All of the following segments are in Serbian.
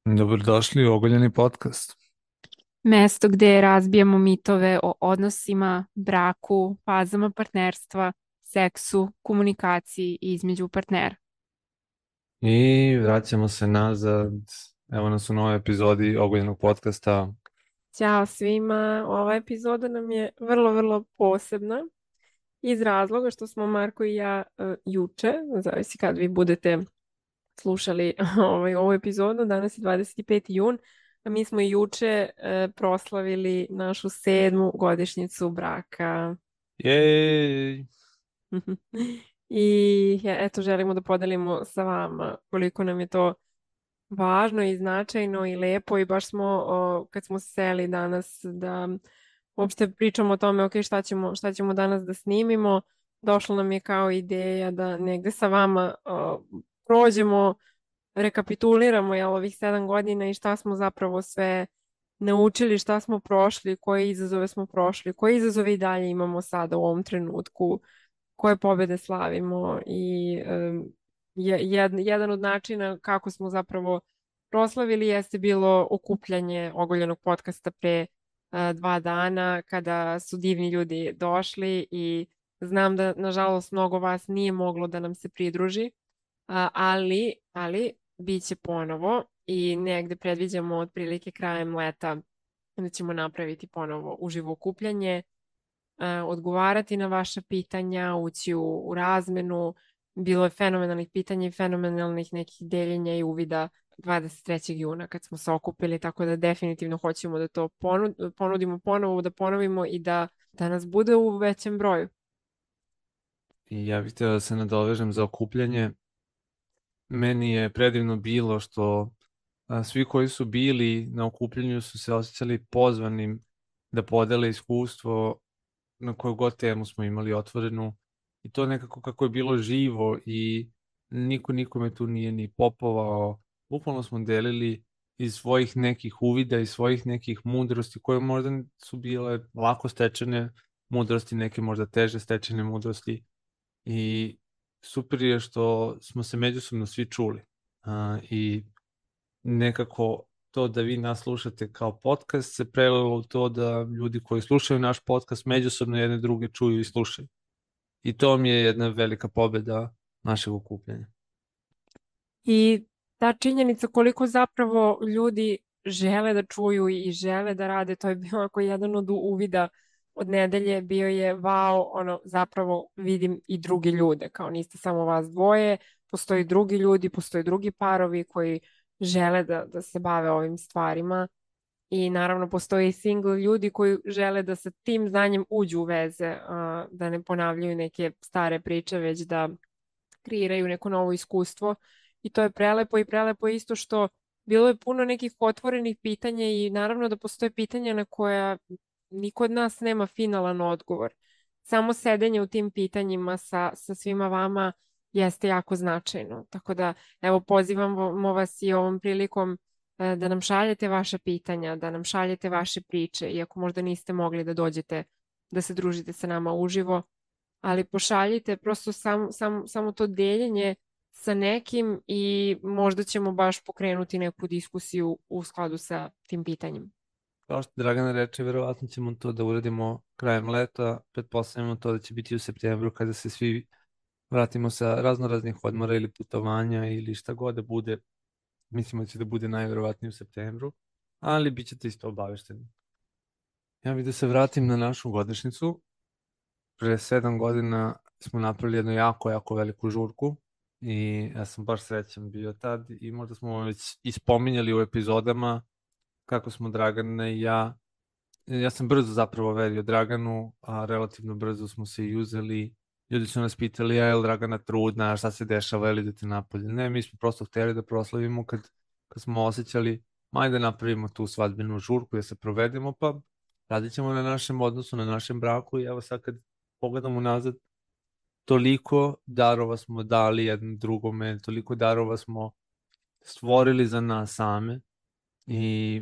Dobrodošli u Ogoljeni podcast. Mesto gde razbijamo mitove o odnosima, braku, fazama partnerstva, seksu, komunikaciji između partnera. I vraćamo se nazad. Evo nas u novoj epizodi Ogoljenog podcasta. Ćao svima, ova epizoda nam je vrlo posebna iz razloga što smo Marko i ja juče, zavisi kad vi budete slušali ovu epizodu, danas je 25. jun, a mi smo juče proslavili našu 7. godišnjicu braka. Jej! I eto, želimo da podelimo sa vama koliko nam je to važno i značajno i lepo i baš smo, kad smo seli danas da uopšte pričamo o tome, ok, šta ćemo danas da snimimo, došla nam je kao ideja da negde sa vama prođemo, rekapituliramo ovih 7 godina i šta smo zapravo sve naučili, šta smo prošli, koje izazove smo prošli, koje izazove i dalje imamo sada u ovom trenutku, koje pobede slavimo i jedan od načina kako smo zapravo proslavili jeste bilo okupljanje ogoljenog podcasta pre 2 dana kada su divni ljudi došli i znam da nažalost mnogo vas nije moglo da nam se pridruži, ali bit će ponovo i negde predviđamo otprilike krajem leta da ćemo napraviti ponovo uživo okupljanje, odgovarati na vaša pitanja, ući u razmenu. Bilo je fenomenalnih pitanja i fenomenalnih nekih deljenja i uvida 23. juna kad smo se okupili, tako da definitivno hoćemo da to ponudimo ponovo, da ponovimo i da nas bude u većem broju. I ja bih htio da se nadovežem za okupljanje. Meni je predivno bilo što svi koji su bili na okupljanju su se osjećali pozvanim da podele iskustvo na koju god temu smo imali otvorenu i to nekako kako je bilo živo i niko nikome tu nije ni popovao. Bukvalno smo delili iz svojih nekih uvida i svojih nekih mudrosti koje možda su bile lako stečene mudrosti, neke možda teže stečene mudrosti i super je što smo se međusobno svi čuli. I nekako to da vi nas slušate kao podcast se prelilo u to da ljudi koji slušaju naš podcast međusobno jedne druge čuju i slušaju. I to mi je jedna velika pobeda našeg okupljanja. I ta činjenica koliko zapravo ljudi žele da čuju i žele da rade, to je bio ako jedan od uvida od nedelje, bio je wow, ono, zapravo vidim i drugi ljude, kao niste samo vas dvoje, postoji drugi ljudi, postoji drugi parovi koji žele da se bave ovim stvarima i naravno postoji single ljudi koji žele da sa tim znanjem uđu u veze, da ne ponavljaju neke stare priče, već da kreiraju neko novo iskustvo i to je prelepo i prelepo je isto što bilo je puno nekih otvorenih pitanja i naravno da postoje pitanja na koja niko od nas nema finalan odgovor. Samo sedenje u tim pitanjima sa svima vama jeste jako značajno. Tako da, evo, pozivamo vas i ovom prilikom da nam šaljete vaša pitanja, da nam šaljete vaše priče, iako možda niste mogli da dođete da se družite sa nama uživo, ali pošaljite prosto samo to deljenje sa nekim i možda ćemo baš pokrenuti neku diskusiju u skladu sa tim pitanjem. Kao što Dragana reče, verovatno ćemo to da uradimo krajem leta, pretpostavljamo to da će biti u septembru kada se svi vratimo sa raznoraznih odmora ili putovanja ili šta god da bude. Mislimo da će da bude najverovatnije u septembru, ali bit ćete isto obavešteni. Ja bih da se vratim na našu godišnjicu. Pre 7 godina smo napravili jednu jako veliku žurku i ja sam baš srećan bio tad i možda smo već ispominjali u epizodama kako smo Dragana i ja sam brzo zapravo verio Draganu, a relativno brzo smo se i uzeli. Ljudi su nas pitali, je li Dragana trudna, šta se dešava, je li idete napolje? Ne, mi smo prosto hteli da proslavimo kad smo osjećali, maj da napravimo tu svadbenu žurku, da se provedemo, pa radit ćemo na našem odnosu, na našem braku i evo sad kad pogledamo nazad, toliko darova smo dali jednom drugome, toliko darova smo stvorili za nas same i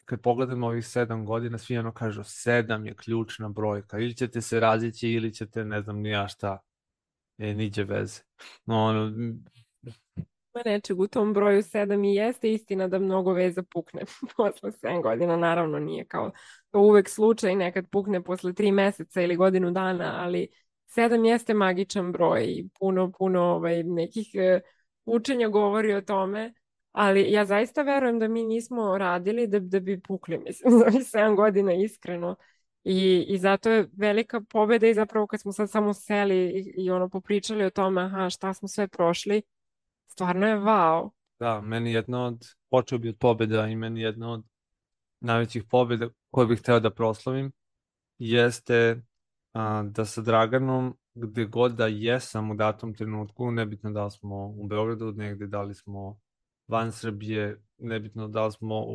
kad pogledamo ovih 7 godina, svi ono kažu 7 je ključna brojka, ili ćete se razići ili ćete ne znam ni ja šta, niđe veze. No, ono, nečeg u tom broju 7 i jeste istina da mnogo veza pukne posle 7 godina. Naravno nije kao to uvek slučaj, nekad pukne posle 3 meseca ili godinu dana, ali 7 jeste magičan broj i puno nekih učenja govori o tome. Ali ja zaista verujem da mi nismo radili da bi pukli, mislim, za ovih 7 godina iskreno. I zato je velika pobeda i zapravo kad smo sad samo seli i ono popričali o tome, aha, šta smo sve prošli, stvarno je wow. Da, meni jedna od, počeo bi od pobjeda i meni jedna od najvećih pobjeda koje bih hteo da proslavim jeste da sa Draganom, gde god da jesam u datom trenutku, nebitno da li smo u Beogradu, negde da li smo van Srbije, nebitno da li smo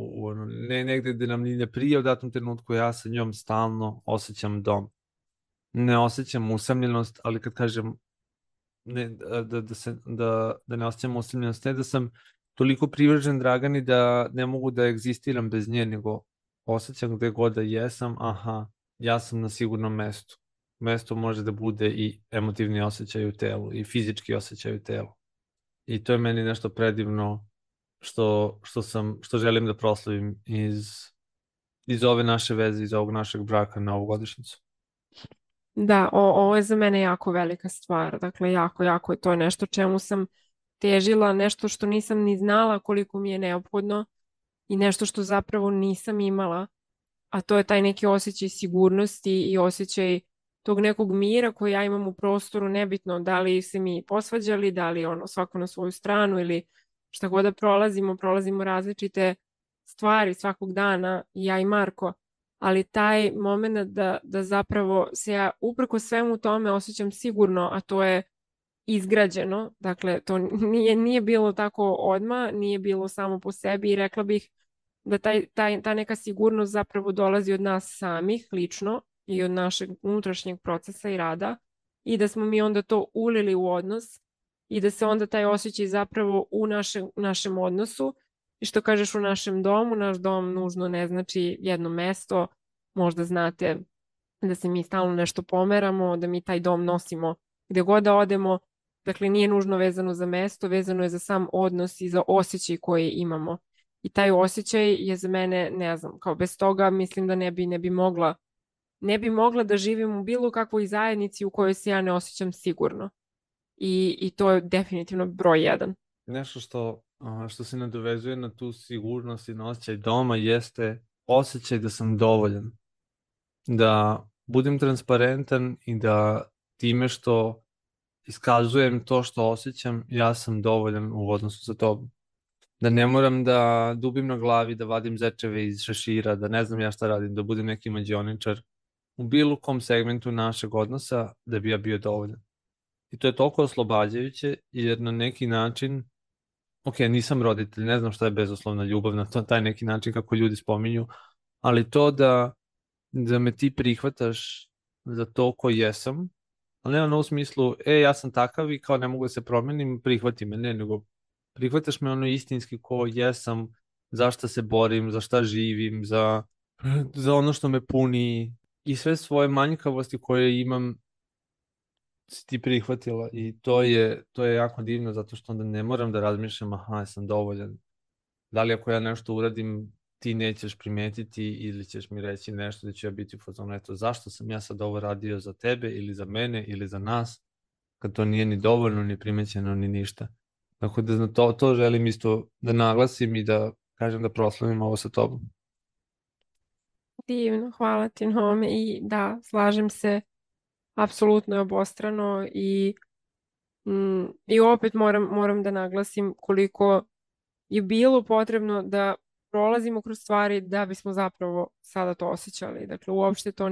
negde gde nam ni ne prije u datom trenutku, ja sa njom stalno osjećam dom. Ne osjećam usamljenost, ali kad kažem ne, da ne osjećam usamljenost, ne da sam toliko privržen Dragani da ne mogu da egzistiram bez nje, nego osjećam gde god da jesam, aha, ja sam na sigurnom mestu. Mesto može da bude i emotivni osjećaj u telu i fizički osjećaj u telu. I to je meni nešto predivno što želim da proslavim iz ove naše veze, iz ovog našeg braka na ovu godišnjicu. Da, ovo je za mene jako velika stvar. Dakle, jako je to nešto čemu sam težila, nešto što nisam ni znala koliko mi je neophodno i nešto što zapravo nisam imala, a to je taj neki osjećaj sigurnosti i osjećaj tog nekog mira koji ja imam u prostoru, nebitno da li se mi posvađali, da li ono svako na svoju stranu ili šta god da prolazimo različite stvari svakog dana, ja i Marko, ali taj moment da zapravo se ja uprko svemu tome osjećam sigurno, a to je izgrađeno, dakle to nije bilo tako odmah, nije bilo samo po sebi i rekla bih da ta neka sigurnost zapravo dolazi od nas samih lično i od našeg unutrašnjeg procesa i rada i da smo mi onda to ulili u odnos i da se onda taj osjećaj zapravo u našem odnosu i što kažeš u našem domu, naš dom nužno ne znači jedno mesto, možda znate da se mi stalno nešto pomeramo, da mi taj dom nosimo gde god da odemo, dakle nije nužno vezano za mesto, vezano je za sam odnos i za osjećaj koji imamo. I taj osjećaj je za mene, ne znam, kao bez toga mislim da ne bi mogla da živim u bilo kakvoj zajednici u kojoj se ja ne osjećam sigurno. I to je definitivno broj 1. Nešto što se nadovezuje na tu sigurnost i na osjećaj doma jeste osjećaj da sam dovoljan. Da budem transparentan i da time što iskazujem to što osjećam, ja sam dovoljan u odnosu sa tobom. Da ne moram da dubim na glavi, da vadim zečeve iz šešira, da ne znam ja šta radim, da budem neki mađioničar u bilo kom segmentu našeg odnosa da bi ja bio dovoljan. I to je toliko oslobađajuće jer na neki način, ok, nisam roditelj, ne znam šta je bezuslovna ljubav na taj neki način kako ljudi spominju, ali to da me ti prihvataš za to ko jesam, ali ne ono u smislu, ja sam takav i kao ne mogu da se promenim, prihvati me, ne, nego prihvataš me ono istinski ko jesam, za šta se borim, za šta živim, za ono što me puni i sve svoje manjkavosti koje imam si ti prihvatila i to je jako divno zato što onda ne moram da razmišljam, aha, ja sam dovoljan. Da li ako ja nešto uradim, ti nećeš primetiti ili ćeš mi reći nešto da ću ja biti u fazonu, eto, zašto sam ja sad ovo radio za tebe ili za mene ili za nas, kad to nije ni dovoljno, ni primećeno, ni ništa. Tako da to želim isto da naglasim i da kažem da proslavim ovo sa tobom. Divno, hvala ti na ovome i da, slažem se, apsolutno je obostrano i opet moram da naglasim koliko je bilo potrebno da prolazimo kroz stvari da bismo zapravo sada to osjećali. Dakle, uopšte to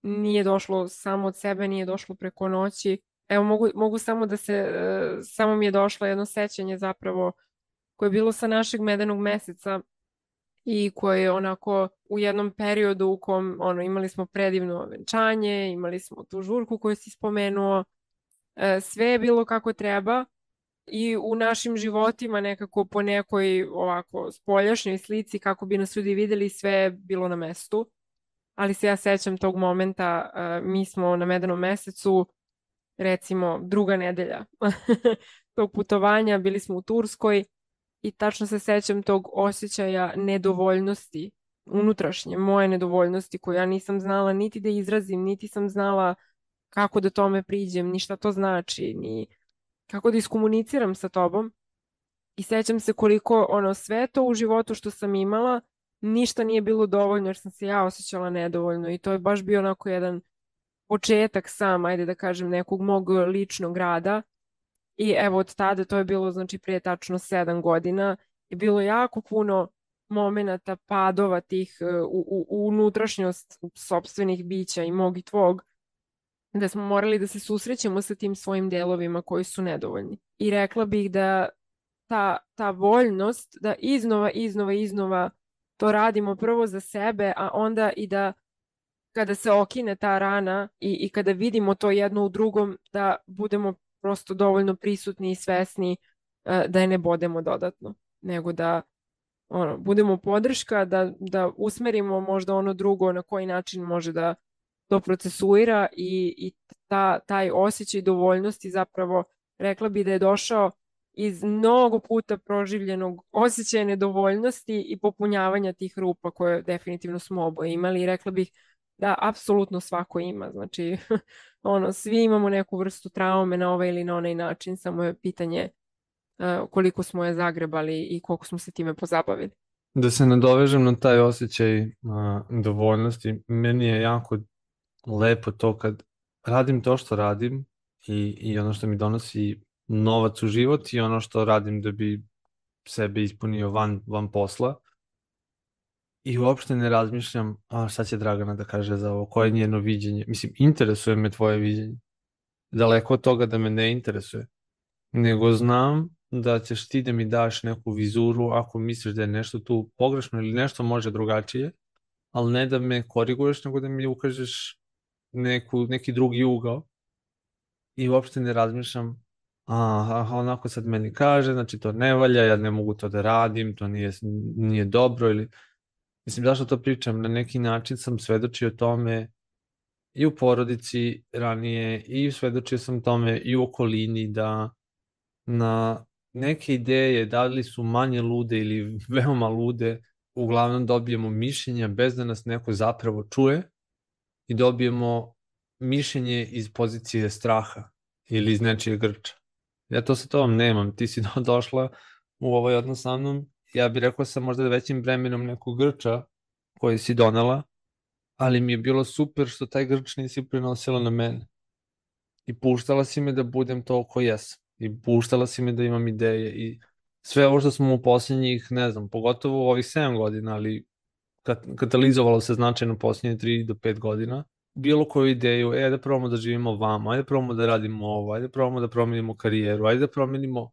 nije došlo samo od sebe, nije došlo preko noći. Evo, mogu samo mi je došlo jedno sećanje zapravo koje je bilo sa našeg medenog meseca i koje je onako u jednom periodu u kom imali smo predivno venčanje, imali smo tu žurku koju si spomenuo, sve je bilo kako treba i u našim životima nekako po nekoj ovako spoljašnjoj slici kako bi nas ljudi videli sve je bilo na mestu. Ali se ja sećam tog momenta, mi smo na medenom mesecu recimo druga nedelja tog putovanja, bili smo u Turskoj i tačno se sećam tog osjećaja nedovoljnosti, unutrašnje moje nedovoljnosti koju ja nisam znala niti da izrazim, niti sam znala kako da tome priđem, ni šta to znači, ni kako da iskomuniciram sa tobom. I sećam se koliko sve to u životu što sam imala, ništa nije bilo dovoljno jer sam se ja osjećala nedovoljno i to je baš bio onako jedan početak sam, ajde da kažem, nekog mog ličnog rada. I evo od tada, to je bilo znači prije tačno 7 godina, je bilo jako puno momenata, padova tih u unutrašnjost sopstvenih bića i mog i tvog, da smo morali da se susrećemo sa tim svojim delovima koji su nedovoljni. I rekla bih da ta voljnost da iznova to radimo prvo za sebe, a onda i da kada se okine ta rana i kada vidimo to jedno u drugom, da budemo prosto dovoljno prisutni i svesni da je ne bodemo dodatno, nego da budemo podrška, da usmerimo možda ono drugo na koji način može da to procesuira i taj osjećaj dovoljnosti zapravo rekla bi da je došao iz mnogo puta proživljenog osjećaja nedovoljnosti i popunjavanja tih rupa koje definitivno smo oboje imali i rekla bih da apsolutno svako ima. Znači, svi imamo neku vrstu traume na ovaj ili na onaj način, samo je pitanje koliko smo je zagrebali i koliko smo se time pozabavili. Da se nadovežem na taj osjećaj dovoljnosti, meni je jako lepo to kad radim to što radim i ono što mi donosi novac u život i ono što radim da bi sebe ispunio van posla. I uopšte ne razmišljam, šta će Dragana da kaže za ovo, koje je njeno viđenje. Mislim, interesuje me tvoje viđenje. Daleko od toga da me ne interesuje. Nego znam da ćeš ti da mi daš neku vizuru ako misliš da je nešto tu pogrešno ili nešto može drugačije, ali ne da me koriguješ, nego da mi ukažeš neki drugi ugao. I uopšte ne razmišljam, onako sad meni kaže, znači to ne valja, ja ne mogu to da radim, to nije dobro ili... Mislim, zašto to pričam? Na neki način sam svedočio tome i u porodici ranije i svedočio sam tome i u okolini da na neke ideje, da li su manje lude ili veoma lude, uglavnom dobijemo mišljenja bez da nas neko zapravo čuje i dobijemo mišljenje iz pozicije straha ili iz nečije grča. Ja to sa tobom nemam. Ti si došla u ovaj odnos sa mnom, ja bih rekao sam možda većim bremenom nekog grča koji si donela, ali mi je bilo super što taj grč nisi prenosila na mene. I puštala si me da budem to ko jesam. I puštala si me da imam ideje i sve ovo što smo u posljednjih, ne znam, pogotovo u ovih 7 godina, ali katalizovalo se značajno u posljednje 3 do 5 godina, bilo koju ideju, da probamo da živimo vamo, ajde probamo da radimo ovo, ajde probamo da promenimo karijeru, ajde da promenimo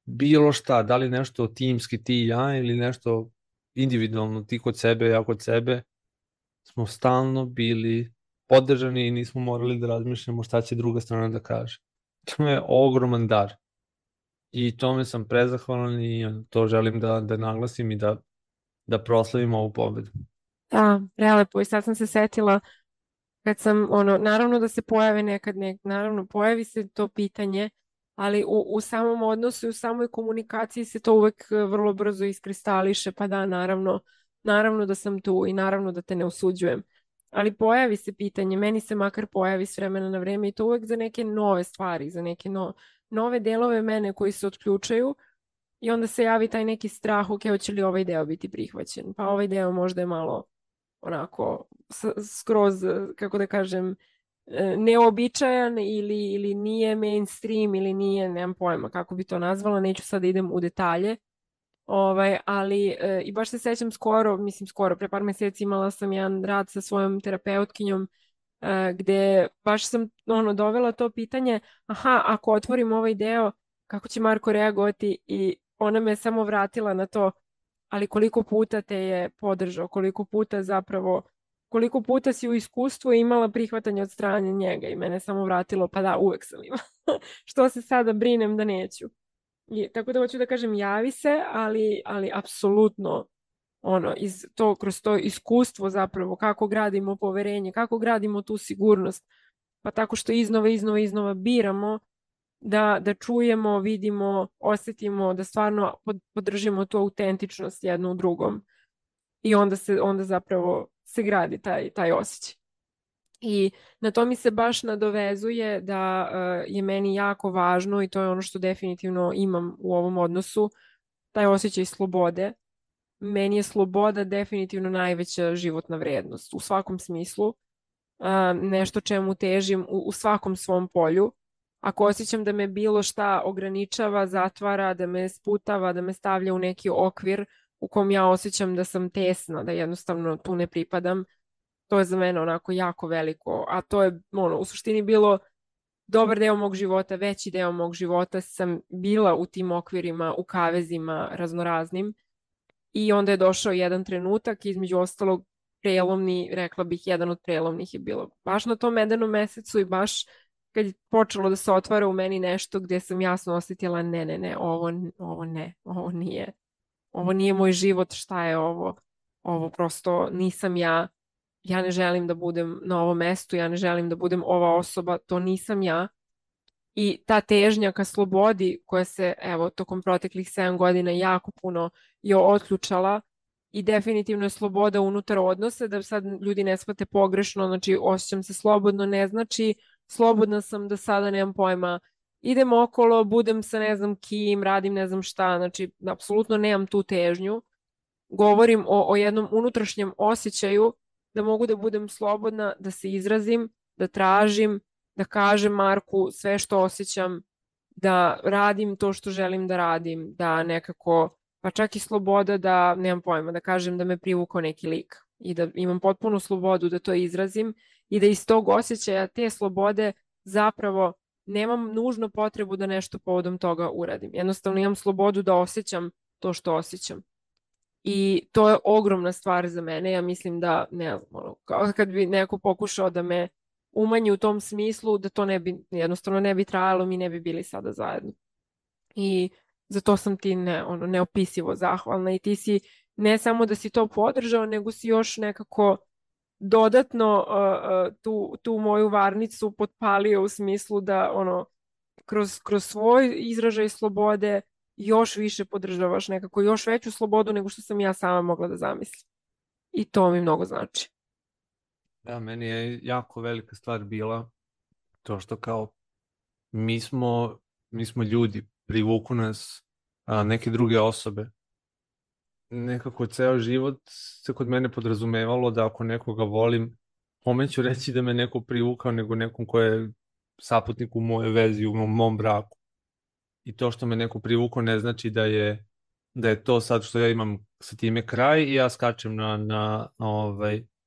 bilo šta, da li nešto timski ti i ja ili nešto individualno ti kod sebe, ja kod sebe, smo stalno bili podržani i nismo morali da razmišljamo šta će druga strana da kaže. To je ogroman dar. I tome sam prezahvalan i to želim da naglasim i da proslavim ovu pobedu. Da, prelepo. I sad sam se setila kad sam, naravno da se pojave naravno pojavi se to pitanje, ali u samom odnosu i u samoj komunikaciji se to uvek vrlo brzo iskristališe, pa da, naravno da sam tu i naravno da te ne osuđujem. Ali pojavi se pitanje, meni se makar pojavi s vremena na vreme i to uvek za neke nove stvari, za neke nove delove mene koji se otključaju i onda se javi taj neki strah, ok, hoće li ovaj deo biti prihvaćen? Pa ovaj deo možda je malo onako skroz, kako da kažem, neobičajan ili nije mainstream ili nije, nemam pojma kako bi to nazvala, neću sad da idem u detalje. Ali i baš se sećam skoro, pre par meseci imala sam jedan rad sa svojom terapeutkinjom gde baš sam dovela to pitanje, ako otvorim ovaj deo, kako će Marko reagovati i ona me samo vratila na to, ali koliko puta te je podržao, koliko puta si u iskustvu imala prihvatanje od strane njega i mene samo vratilo, pa da, uvek sam imala. Što se sada brinem da neću. Tako da hoću da kažem, javi se, ali apsolutno kroz to iskustvo zapravo, kako gradimo poverenje, kako gradimo tu sigurnost, pa tako što iznova biramo da čujemo, vidimo, osjetimo, da stvarno podržimo tu autentičnost jedno u drugom. I onda zapravo se gradi taj osjećaj. I na to mi se baš nadovezuje da je meni jako važno i to je ono što definitivno imam u ovom odnosu, taj osjećaj slobode. Meni je sloboda definitivno najveća životna vrednost u svakom smislu, nešto čemu težim u svakom svom polju. Ako osjećam da me bilo šta ograničava, zatvara, da me sputava, da me stavlja u neki okvir u kom ja osjećam da sam tesna, da jednostavno tu ne pripadam, to je za mene onako jako veliko, a to je u suštini bilo dobar deo mog života, veći deo mog života sam bila u tim okvirima, u kavezima raznoraznim i onda je došao jedan trenutak, između ostalog prelomni, rekla bih, jedan od prelomnih je bilo baš na tom medenom mesecu i baš kad je počelo da se otvara u meni nešto gdje sam jasno osjetila ne, ovo nije. Ovo nije moj život, šta je ovo? Ovo prosto nisam ja. Ja ne želim da budem na ovom mestu, ja ne želim da budem ova osoba, to nisam ja. I ta težnja ka slobodi koja se, evo, tokom proteklih 7 godina jako puno je otključala i definitivno je sloboda unutar odnosa, da sad ljudi ne shvate pogrešno, znači osjećam se slobodno, ne znači slobodna sam da sada nemam pojma, idem okolo, budem sa ne znam kim, radim ne znam šta, znači apsolutno nemam tu težnju. Govorim o jednom unutrašnjem osjećaju da mogu da budem slobodna, da se izrazim, da tražim, da kažem Marku sve što osjećam, da radim to što želim da radim, da nekako, pa čak i sloboda da, nemam pojma, da kažem da me privukao neki lik i da imam potpunu slobodu da to izrazim i da iz tog osjećaja te slobode zapravo nemam nužno potrebu da nešto povodom toga uradim. Jednostavno imam slobodu da osjećam to što osjećam. I to je ogromna stvar za mene. Ja mislim da, ne znam, kao kad bi neko pokušao da me umanji u tom smislu, da to jednostavno ne bi trajalo, mi ne bi bili sada zajedno. I za to sam ti neopisivo zahvalna i ti si ne samo da si to podržao, nego si još nekako dodatno tu moju varnicu potpalio u smislu da kroz svoj izražaj slobode još više podržavaš nekako još veću slobodu nego što sam ja sama mogla da zamislim. I to mi mnogo znači. Da, meni je jako velika stvar bila to što kao mi smo ljudi, privuku nas neke druge osobe. Nekako ceo život se kod mene podrazumevalo da ako nekoga volim, kome ću reći da me neko privukao nego nekom ko je saputnik u mojoj vezi, u mom braku. I to što me neko privukao ne znači da je to sad što ja imam sa time kraj i ja skačem na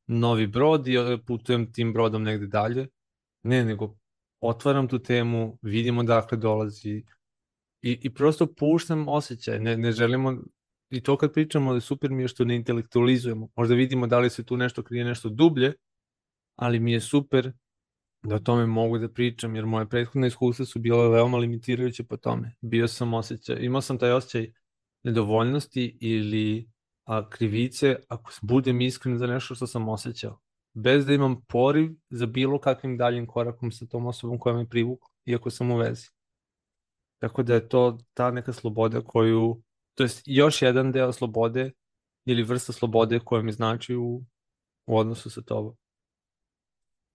novi brod i putujem tim brodom negde dalje. Ne, nego otvaram tu temu, vidimo dakle dolazi i prosto puštam osjećaj. Ne želimo, i to kad pričamo, da super mi je što ne intelektualizujemo. Možda vidimo da li se tu nešto krije, nešto dublje, ali mi je super da o tome mogu da pričam, jer moje prethodne iskustva su bile veoma limitirajuće po tome. Imao sam taj osjećaj nedovoljnosti ili krivice ako budem iskren za nešto što sam osjećao. Bez da imam poriv za bilo kakvim daljim korakom sa tom osobom koja me privukla, iako sam u vezi. Tako da je to ta neka sloboda to je još jedan deo slobode ili vrsta slobode koja mi znači u odnosu sa tobom.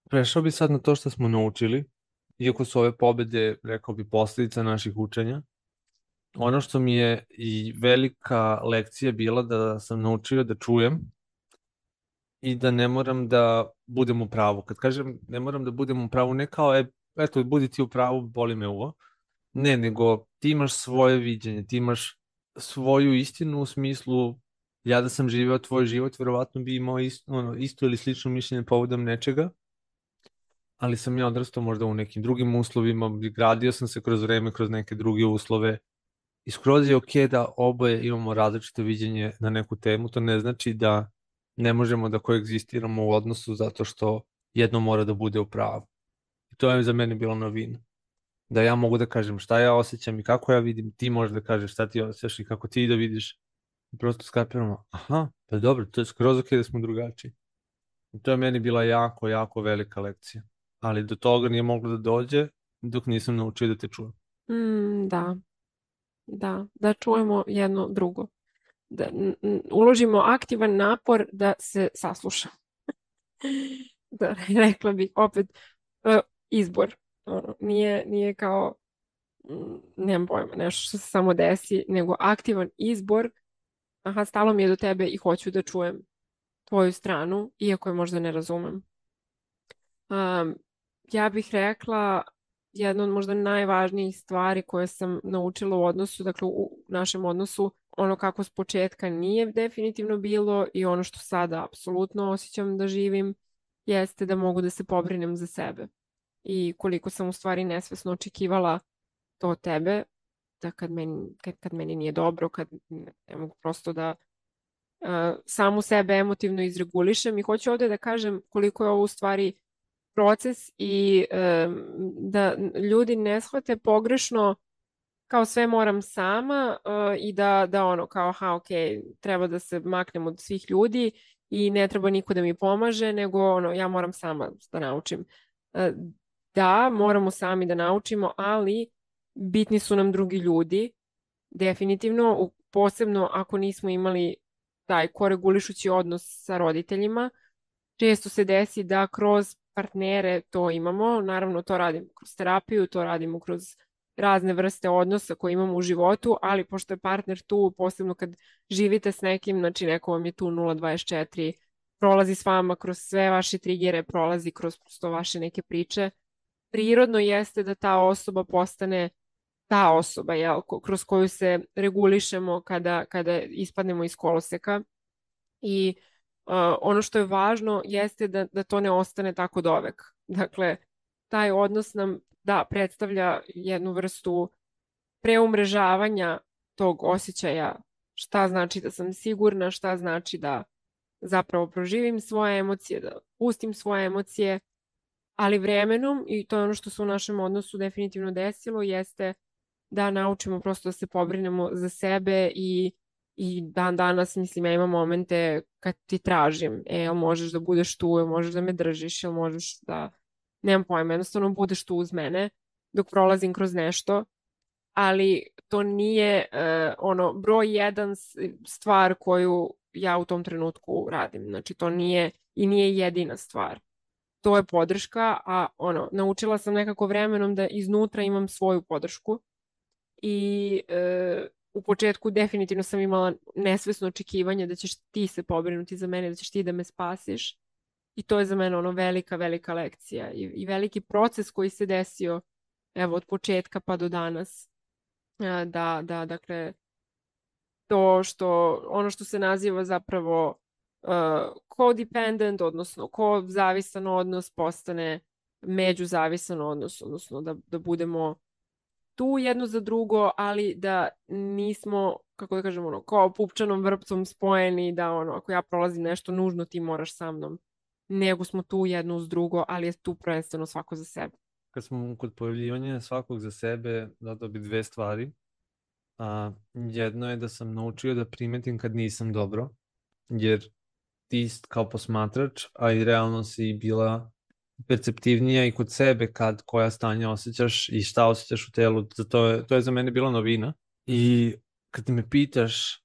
Prešao bi sad na to što smo naučili, iako su ove pobede, rekao bi, posljedica naših učenja. Ono što mi je i velika lekcija bila da sam naučio da čujem i da ne moram da budem u pravu. Kad kažem ne moram da budem u pravu, ne kao, eto, budi ti u pravu, boli me uvo. Ne, nego ti imaš svoje viđenje, ti imaš svoju istinu u smislu, ja da sam živeo tvoj život, verovatno bi imao isto ili slično mišljenje povodom nečega, ali sam ja odrastao možda u nekim drugim uslovima, gradio sam se kroz vreme, kroz neke druge uslove i skroz je okej da oboje imamo različito viđenje na neku temu. To ne znači da ne možemo da koegzistiramo u odnosu zato što jedno mora da bude u pravu. I to je za mene bila novina. Da ja mogu da kažem šta ja osjećam i kako ja vidim, ti možeš da kažeš šta ti osjećaš i kako ti da vidiš. I prosto skapiramo, aha, pa dobro, to je skroz okej da smo drugačiji. I to je meni bila jako, jako velika lekcija. Ali do toga nije moglo da dođe dok nisam naučio da te čujem. Da, da čujemo jedno drugo. Da uložimo aktivan napor da se sasluša. Da, rekla bih opet izbor. Ono, nije kao, nemam pojma, nešto što se samo desi, nego aktivan izbor. Aha, stalo mi je do tebe i hoću da čujem tvoju stranu, iako je možda ne razumem. Ja bih rekla jedna od možda najvažnijih stvari koje sam naučila u odnosu, dakle u našem odnosu, ono kako s početka nije definitivno bilo i ono što sada apsolutno osjećam da živim, jeste da mogu da se pobrinem za sebe. I koliko sam u stvari nesvesno očekivala to od tebe, da kad meni nije dobro, kad ne mogu prosto da samu sebe emotivno izregulišem. I hoću ovdje da kažem koliko je ovo u stvari proces i da ljudi ne shvate pogrešno kao sve moram sama i da ono kao aha ok, treba da se maknem od svih ljudi i ne treba niko da mi pomaže, nego ono ja moram sama da naučim. Da, moramo sami da naučimo, ali bitni su nam drugi ljudi, definitivno, posebno ako nismo imali taj koregulišući odnos sa roditeljima. Često se desi da kroz partnere to imamo, naravno to radimo kroz terapiju, to radimo kroz razne vrste odnosa koje imamo u životu, ali pošto je partner tu, posebno kad živite s nekim, znači neko vam je tu 0,24, prolazi s vama kroz sve vaše trigere, prolazi kroz prosto vaše neke priče, prirodno jeste da ta osoba postane ta osoba, jel, kroz koju se regulišemo kada ispadnemo iz koloseka. I ono što je važno jeste da to ne ostane tako dovek. Dakle, taj odnos nam da predstavlja jednu vrstu preumrežavanja tog osjećaja šta znači da sam sigurna, šta znači da zapravo proživim svoje emocije, da pustim svoje emocije, ali vremenom, i to je ono što se u našem odnosu definitivno desilo, jeste da naučimo prosto da se pobrinemo za sebe i dan danas, mislim, ja imam momente kad ti tražim, jel možeš da budeš tu, jel možeš da me držiš, jel možeš da, nemam pojma, jednostavno budeš tu uz mene dok prolazim kroz nešto, ali to nije ono broj jedan stvar koju ja u tom trenutku radim. Znači to nije i nije jedina stvar. To je podrška, a ono, naučila sam nekako vremenom da iznutra imam svoju podršku i u početku definitivno sam imala nesvesno očekivanje da ćeš ti se pobrinuti za mene, da ćeš ti da me spasiš. I to je za mene ono velika, velika lekcija i veliki proces koji se desio evo od početka pa do danas. Dakle, to što, ono što se naziva zapravo codependent, odnosno zavisan odnos postane međuzavisan odnos, odnosno da budemo tu jedno za drugo, ali da nismo, kako da kažem, ono, kao pupčanom vrpcom spojeni, da ono, ako ja prolazim nešto nužno, ti moraš sa mnom. Nego smo tu jedno uz drugo, ali je tu prvenstveno svako za sebe. Kad smo kod pojavljivanja svakog za sebe, dodao bi dve stvari. Jedno je da sam naučio da primetim kad nisam dobro, jer ti kao posmatrač, a i realno si bila perceptivnija i kod sebe kad koja stanja osjećaš i šta osjećaš u telu, to je za mene bila novina. I kad me pitaš,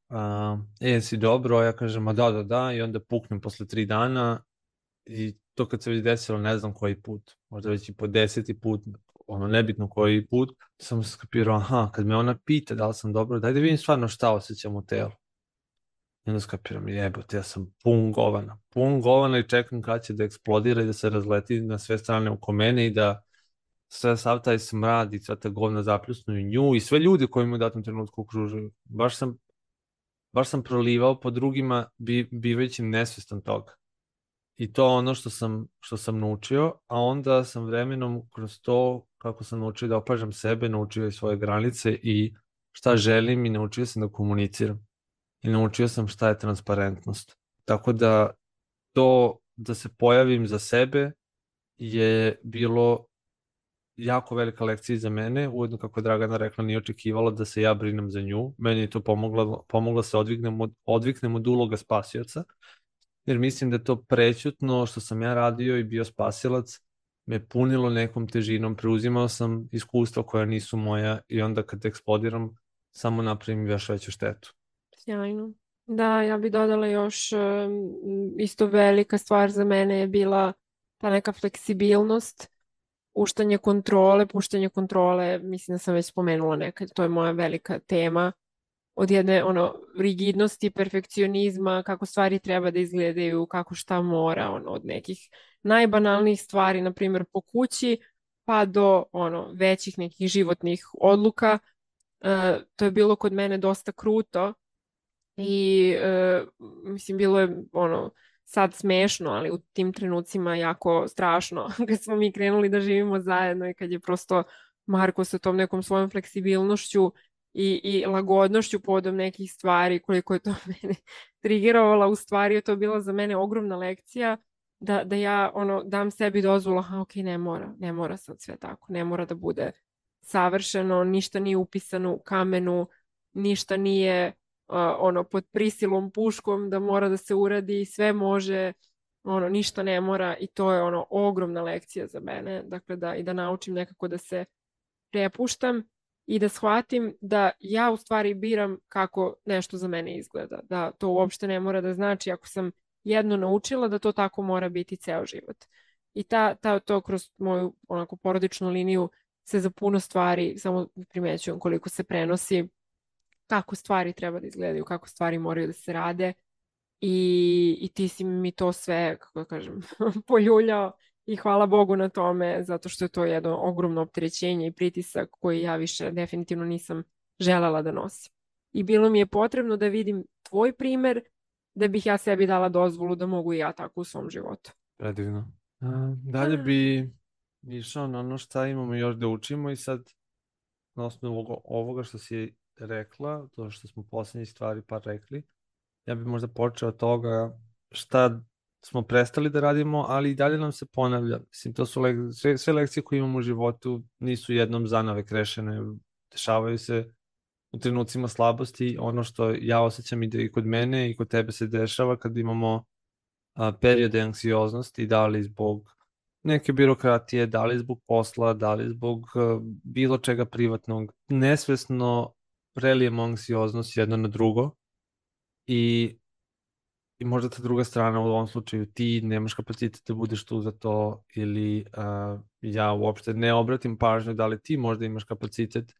jesi dobro, ja kažem, a da, i onda puknem posle 3 dana i to kad se već desilo, ne znam koji put, možda već i po 10. put, ono nebitno koji put, sam skapirao, aha, kad me ona pita da li sam dobro, daj da vidim stvarno šta osjećam u telu. I onda skapiram, jebote, ja sam pun govana i čekam kad će da eksplodira i da se razleti na sve strane oko mene i da sav taj smrad i sva ta govna zapljusnu i nju i sve ljudi koji mu u datom trenutku okružuju. Baš sam prolivao po drugima bivajući nesvestan toga. I to ono što sam naučio, a onda sam vremenom kroz to, kako sam naučio da opažam sebe, naučio i svoje granice i šta želim i naučio sam da komuniciram. I naučio sam šta je transparentnost. Tako da to da se pojavim za sebe je bilo jako velika lekcija za mene. Ujedno, kako je Dragana rekla, nije očekivala da se ja brinem za nju. Meni je to pomoglo se odviknem od uloga spasioca, jer mislim da je to prećutno što sam ja radio i bio spasilac, me punilo nekom težinom, preuzimao sam iskustva koja nisu moja i onda kad eksplodiram, samo napravim još veću štetu. Sjajno. Da, ja bi dodala još isto velika stvar za mene je bila ta neka fleksibilnost, puštanje kontrole, mislim da sam već spomenula nekad, to je moja velika tema, od jedne rigidnosti, perfekcionizma, kako stvari treba da izgledaju, kako šta mora, od nekih najbanalnijih stvari, na primjer po kući, pa do većih nekih životnih odluka. To je bilo kod mene dosta kruto i mislim bilo je sad smešno, ali u tim trenucima jako strašno kad smo mi krenuli da živimo zajedno i kad je prosto Marko sa tom nekom svojom fleksibilnošću i lagodnošću povodom nekih stvari, koliko je to mene trigerovala, u stvari je to bila za mene ogromna lekcija da ja dam sebi dozvolu, ok, ne mora sad sve tako, ne mora da bude savršeno, ništa nije upisano u kamenu, ništa nije pod prisilom puškom da mora da se uradi, sve može, ništa ne mora i to je ogromna lekcija za mene, dakle da naučim nekako da se prepuštam i da shvatim da ja u stvari biram kako nešto za mene izgleda, da to uopšte ne mora da znači ako sam jedno naučila da to tako mora biti ceo život. I to kroz moju onako porodičnu liniju se za puno stvari samo primećujem koliko se prenosi, kako stvari treba da izgledaju, kako stvari moraju da se rade i ti si mi to sve, kako da kažem, poljuljao i hvala Bogu na tome, zato što je to jedno ogromno opterećenje i pritisak koji ja više definitivno nisam želela da nosim. I bilo mi je potrebno da vidim tvoj primer da bih ja sebi dala dozvolu da mogu i ja tako u svom životu. Predivno. Dalje bi išao na ono šta imamo još da učimo i sad na osnovu ovoga što si rekla, to što smo posljednje stvari par rekli, ja bih možda počeo od toga šta smo prestali da radimo, ali i dalje nam se ponavlja. Mislim, to su sve lekcije koje imamo u životu nisu jednom zanavek rešene, dešavaju se u trenucima slabosti. Ono što ja osjećam i kod mene i kod tebe se dešava kad imamo periode anksioznosti, da li zbog neke birokratije, da li zbog posla, da li zbog bilo čega privatnog, nesvesno prelijemo anksioznost jedno na drugo i možda ta druga strana, u ovom slučaju ti nemaš kapacitet da budeš tu za to ili ja uopšte ne obratim pažnju da li ti možda imaš kapacitet,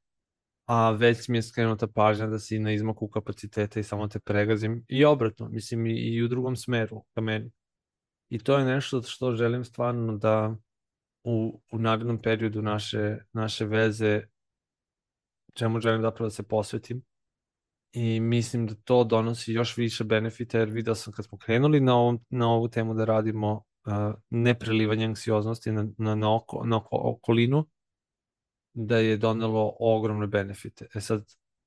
a već mi je skrenuta pažnja da si na izmaku kapaciteta i samo te pregazim i obratno, mislim i u drugom smeru ka meni. I to je nešto što želim stvarno da u narednom periodu naše veze, čemu želim zapravo da se posvetim. I mislim da to donosi još više benefita, jer vidio sam kad smo krenuli na ovu temu da radimo neprelivanje anksioznosti na okolinu, da je donelo ogromne benefite. Sad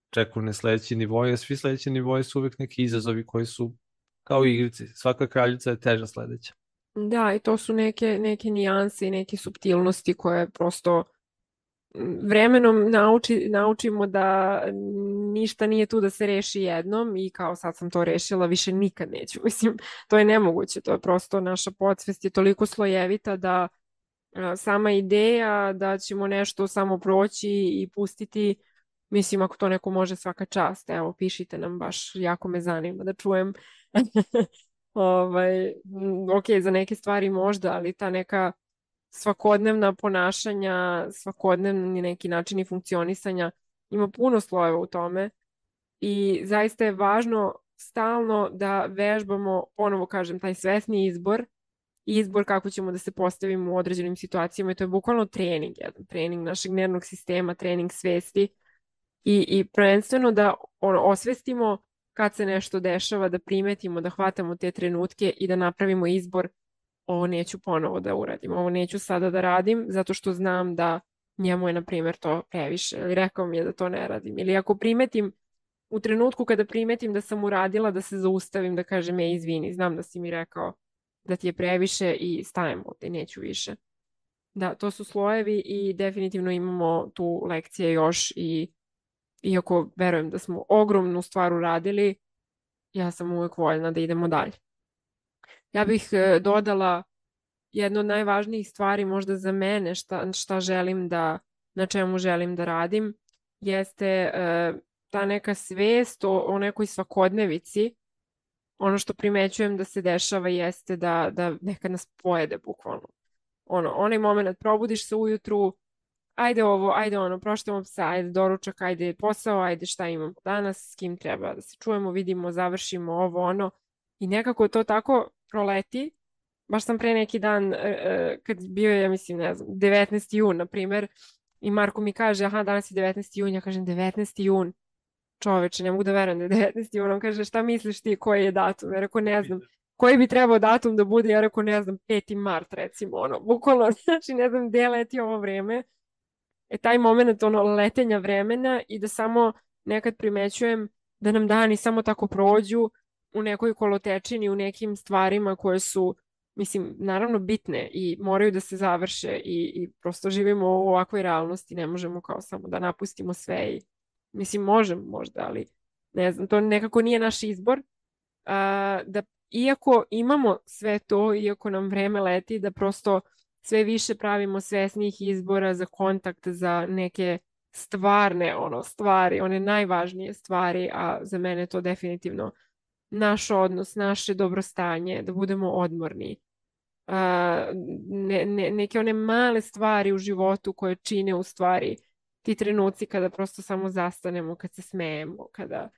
čekaju ne sledeći nivoje, a svi sledeći nivoje su uvijek neki izazovi koji su kao igrici. Svaka kraljica je teža sledeća. Da, i to su neke nijanse i neke suptilnosti koje prosto vremenom naučimo da ništa nije tu da se reši jednom i kao sad sam to rešila, više nikad neću. Mislim, to je nemoguće, to je prosto naša podsvest je toliko slojevita da sama ideja da ćemo nešto samo proći i pustiti, mislim ako to neko može svaka čast, evo pišite nam baš, jako me zanima da čujem. Ok, za neke stvari možda, ali ta neka svakodnevna ponašanja, svakodnevni neki načini funkcionisanja, ima puno slojeva u tome i zaista je važno stalno da vežbamo, ponovo kažem, taj svesni izbor kako ćemo da se postavimo u određenim situacijama i to je bukvalno trening našeg nervnog sistema, trening svesti i prvenstveno da osvestimo kad se nešto dešava, da primetimo, da hvatamo te trenutke i da napravimo izbor, ovo neću ponovo da uradim, ovo neću sada da radim zato što znam da njemu je, na primjer, to previše ili rekao mi je da to ne radim. Ili ako primetim, u trenutku kada primetim da sam uradila, da se zaustavim, da kažem, izvini, znam da si mi rekao da ti je previše i stajem ovdje, neću više. Da, to su slojevi i definitivno imamo tu lekcije još i iako verujem da smo ogromnu stvar uradili, ja sam uvijek voljna da idemo dalje. Ja bih dodala jedna od najvažnijih stvari možda za mene šta želim na čemu želim da radim jeste ta neka svest o nekoj svakodnevici. Ono što primećujem da se dešava jeste da nekad nas pojede bukvalno. Onaj moment probudiš se ujutru, ajde ovo, ajde ono, proštamo psa, ajde doručak, ajde posao, ajde šta imamo danas, s kim treba da se čujemo, vidimo, završimo ovo, ono. I nekako to tako proleti. Baš sam pre neki dan, kad bio je, ja mislim, ne znam, 19. jun, na primer, i Marko mi kaže, aha, danas je 19. jun, ja kažem 19. jun, čoveče, ne mogu da verujem da je 19. jun, on kaže, šta misliš ti, koji je datum? Ja rekao, ne znam, koji bi trebao datum da bude, ja rekao, ne znam, 5. mart, recimo, ono, bukvalno, znači, ne znam, gde leti ovo vreme. Taj moment, ono, letenja vremena i da samo nekad primećujem da nam dani samo tako prođu u nekoj kolotečini, u nekim stvarima koje su, mislim, naravno bitne i moraju da se završe i prosto živimo u ovakvoj realnosti, ne možemo kao samo da napustimo sve i, mislim, možemo možda, ali ne znam, to nekako nije naš izbor. Da iako imamo sve to, iako nam vreme leti, da prosto sve više pravimo svesnih izbora za kontakt, za neke stvarne stvari, one najvažnije stvari, a za mene to definitivno naš odnos, naše dobrostanje, da budemo odmorni. Neke one male stvari u životu koje čine u stvari ti trenuci kada prosto samo zastanemo, kad se smejemo, kada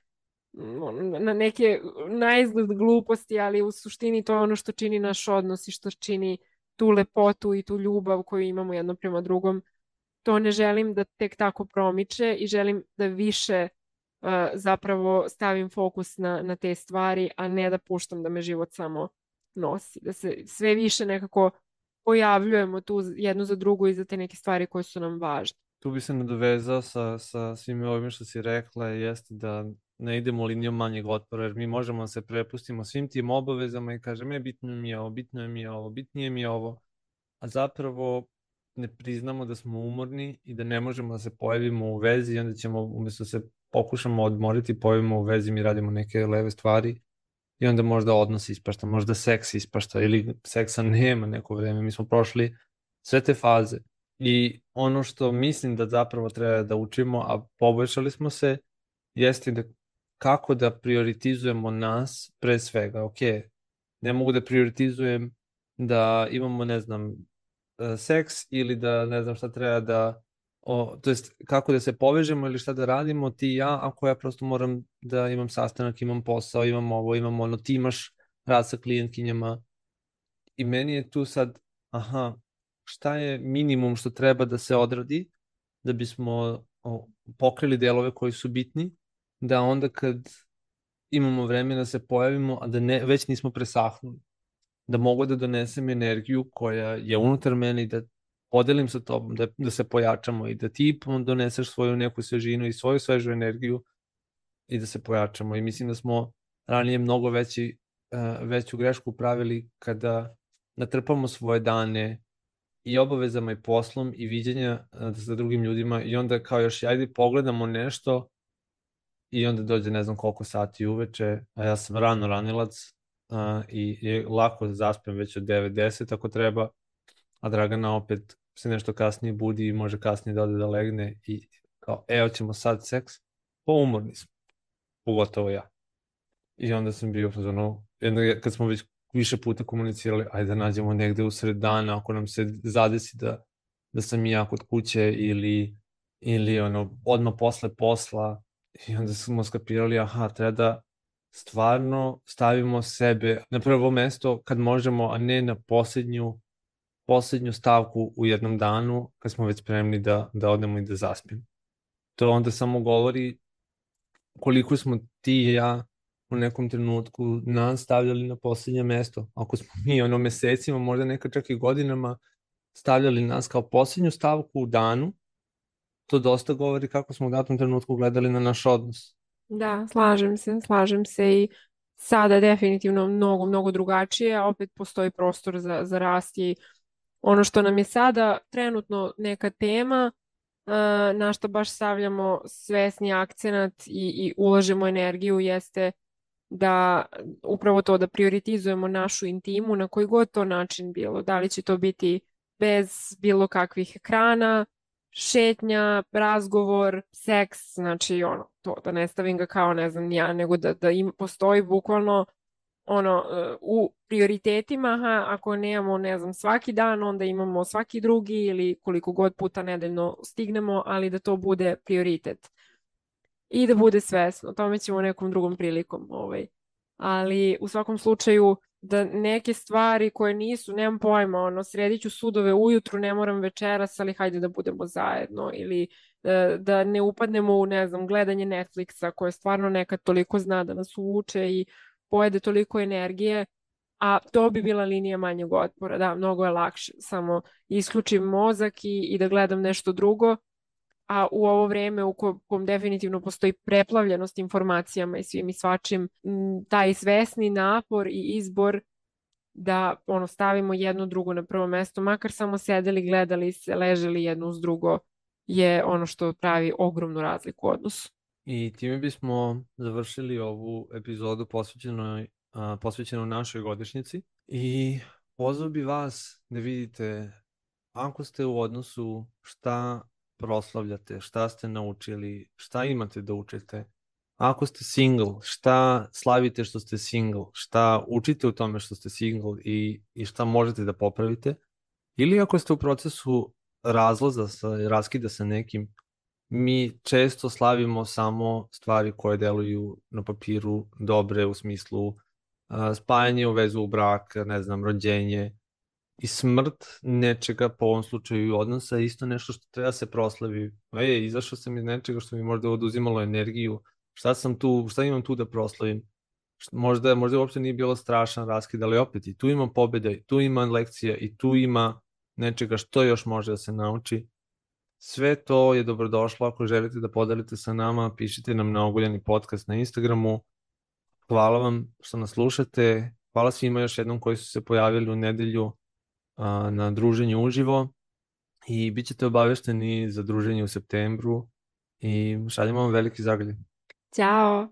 na neke naizgled gluposti, ali u suštini to je ono što čini naš odnos i što čini tu lepotu i tu ljubav koju imamo jedno prema drugom. To ne želim da tek tako promiče i želim da više zapravo stavim fokus na te stvari, a ne da puštam da me život samo nosi. Da se sve više nekako pojavljujemo tu jedno za drugo i za te neke stvari koje su nam važne. Tu bi se nadovezao sa svim ovim što si rekla, jeste da ne idemo linijom manjeg otpora, jer mi možemo da se prepustimo svim tim obavezama i kažemo, bitno mi je ovo, bitno mi je ovo, bitnije mi je ovo, a zapravo ne priznamo da smo umorni i da ne možemo da se pojavimo u vezi i onda ćemo, umjesto da se pokušamo odmoriti, pojavimo u vezi, mi radimo neke leve stvari i onda možda odnos ispašta, možda seks ispašta ili seksa nema neko vreme. Mi smo prošli sve te faze i ono što mislim da zapravo treba da učimo, a poboljšali smo se, jeste da kako da prioritizujemo nas pre svega. Ok, ne mogu da prioritizujem da imamo, ne znam, seks ili da ne znam šta treba da, to jest kako da se povežemo ili šta da radimo ti i ja, ako ja prosto moram da imam sastanak, imam posao, imam ovo, imam ono, ti imaš rad sa klijentkinjama i meni je tu sad, šta je minimum što treba da se odradi da bismo pokrili delove koji su bitni, da onda kad imamo vremena da se pojavimo, a da već nismo presahnuli, da mogu da donesem energiju koja je unutar mene i da podelim sa tobom, da se pojačamo i da ti doneseš svoju neku svežinu i svoju svežu energiju i da se pojačamo. I mislim da smo ranije mnogo veću grešku pravili kada natrpamo svoje dane i obavezama i poslom i viđenja sa drugim ljudima i onda kao još ajde pogledamo nešto i onda dođe ne znam koliko sati uveče, a ja sam ranilac i lako zaspem već od 9-10 ako treba, a Dragana opet se nešto kasnije budi i može kasnije da ode da legne i kao, hoćemo sad seks, pa umorni smo, pogotovo ja. I onda sam bio, kad smo već više puta komunicirali, ajde da nađemo negde u sred dana, ako nam se zadesi da sam i ja kod kuće ili odmah posle posla, i onda smo skapirali, treba da stvarno stavimo sebe na prvo mesto kad možemo, a ne na poslednju stavku u jednom danu kad smo već spremni da odemo i da zaspimo. To onda samo govori koliko smo ti i ja u nekom trenutku nas stavljali na poslednje mesto. Ako smo mi mesecima, možda nekad čak i godinama stavljali nas kao poslednju stavku u danu, to dosta govori kako smo u datom trenutku gledali na naš odnos. Da, slažem se i sada je definitivno mnogo, mnogo drugačije, a opet postoji prostor za rast i ono što nam je sada trenutno neka tema, na što baš stavljamo svesni akcenat i ulažemo energiju jeste da upravo to da prioritizujemo našu intimu na koji god to način bilo. Da li će to biti bez bilo kakvih ekrana, šetnja, razgovor, seks, znači ono, to da ne stavim ga kao ne znam ja, nego da postoji bukvalno ono u prioritetima, aha, ako nemamo, ne znam, svaki dan, onda imamo svaki drugi ili koliko god puta nedeljno stignemo, ali da to bude prioritet i da bude svesno. O tome ćemo nekom drugom prilikom. Ali u svakom slučaju da neke stvari koje nisu, nemam pojma, ono, sredit ću sudove ujutru, ne moram večeras, ali hajde da budemo zajedno ili da ne upadnemo u, ne znam, gledanje Netflixa koje stvarno nekad toliko zna da nas uvuče i pojede toliko energije, a to bi bila linija manjeg otpora. Da, mnogo je lakše. Samo isključim mozak i da gledam nešto drugo, a u ovo vreme u kom definitivno postoji preplavljenost informacijama i svim i svačim, taj svesni napor i izbor da ono stavimo jedno drugo na prvo mesto, makar samo sedeli, gledali se, leželi jedno uz drugo, je ono što pravi ogromnu razliku u odnosu. I time bismo završili ovu epizodu posvećenu našoj godišnjici i pozvao bi vas da vidite ako ste u odnosu šta proslavljate, šta ste naučili, šta imate da učite. Ako ste single, šta slavite što ste single, šta učite u tome što ste single i šta možete da popravite. Ili ako ste u procesu raskida sa nekim, mi često slavimo samo stvari koje deluju na papiru dobre u smislu spajanje u vezu u brak, ne znam, rođenje i smrt nečega, po ovom slučaju odnosa, isto nešto što treba se proslavi. Izašao sam iz nečega što mi možda oduzimalo energiju, šta imam tu da proslavim? Možda uopšte nije bilo strašan raskid, ali opet i tu ima pobjeda, i tu ima lekcija, i tu ima nečega što još može da se nauči. Sve to je dobrodošlo ako želite da podelite sa nama, pišite nam na Oguljani podcast na Instagramu. Hvala vam što nas slušate, hvala svima još jednom koji su se pojavili u nedelju na druženju uživo i bit ćete obavešteni za druženje u septembru i šaljemo vam veliki zagrljaj. Ćao!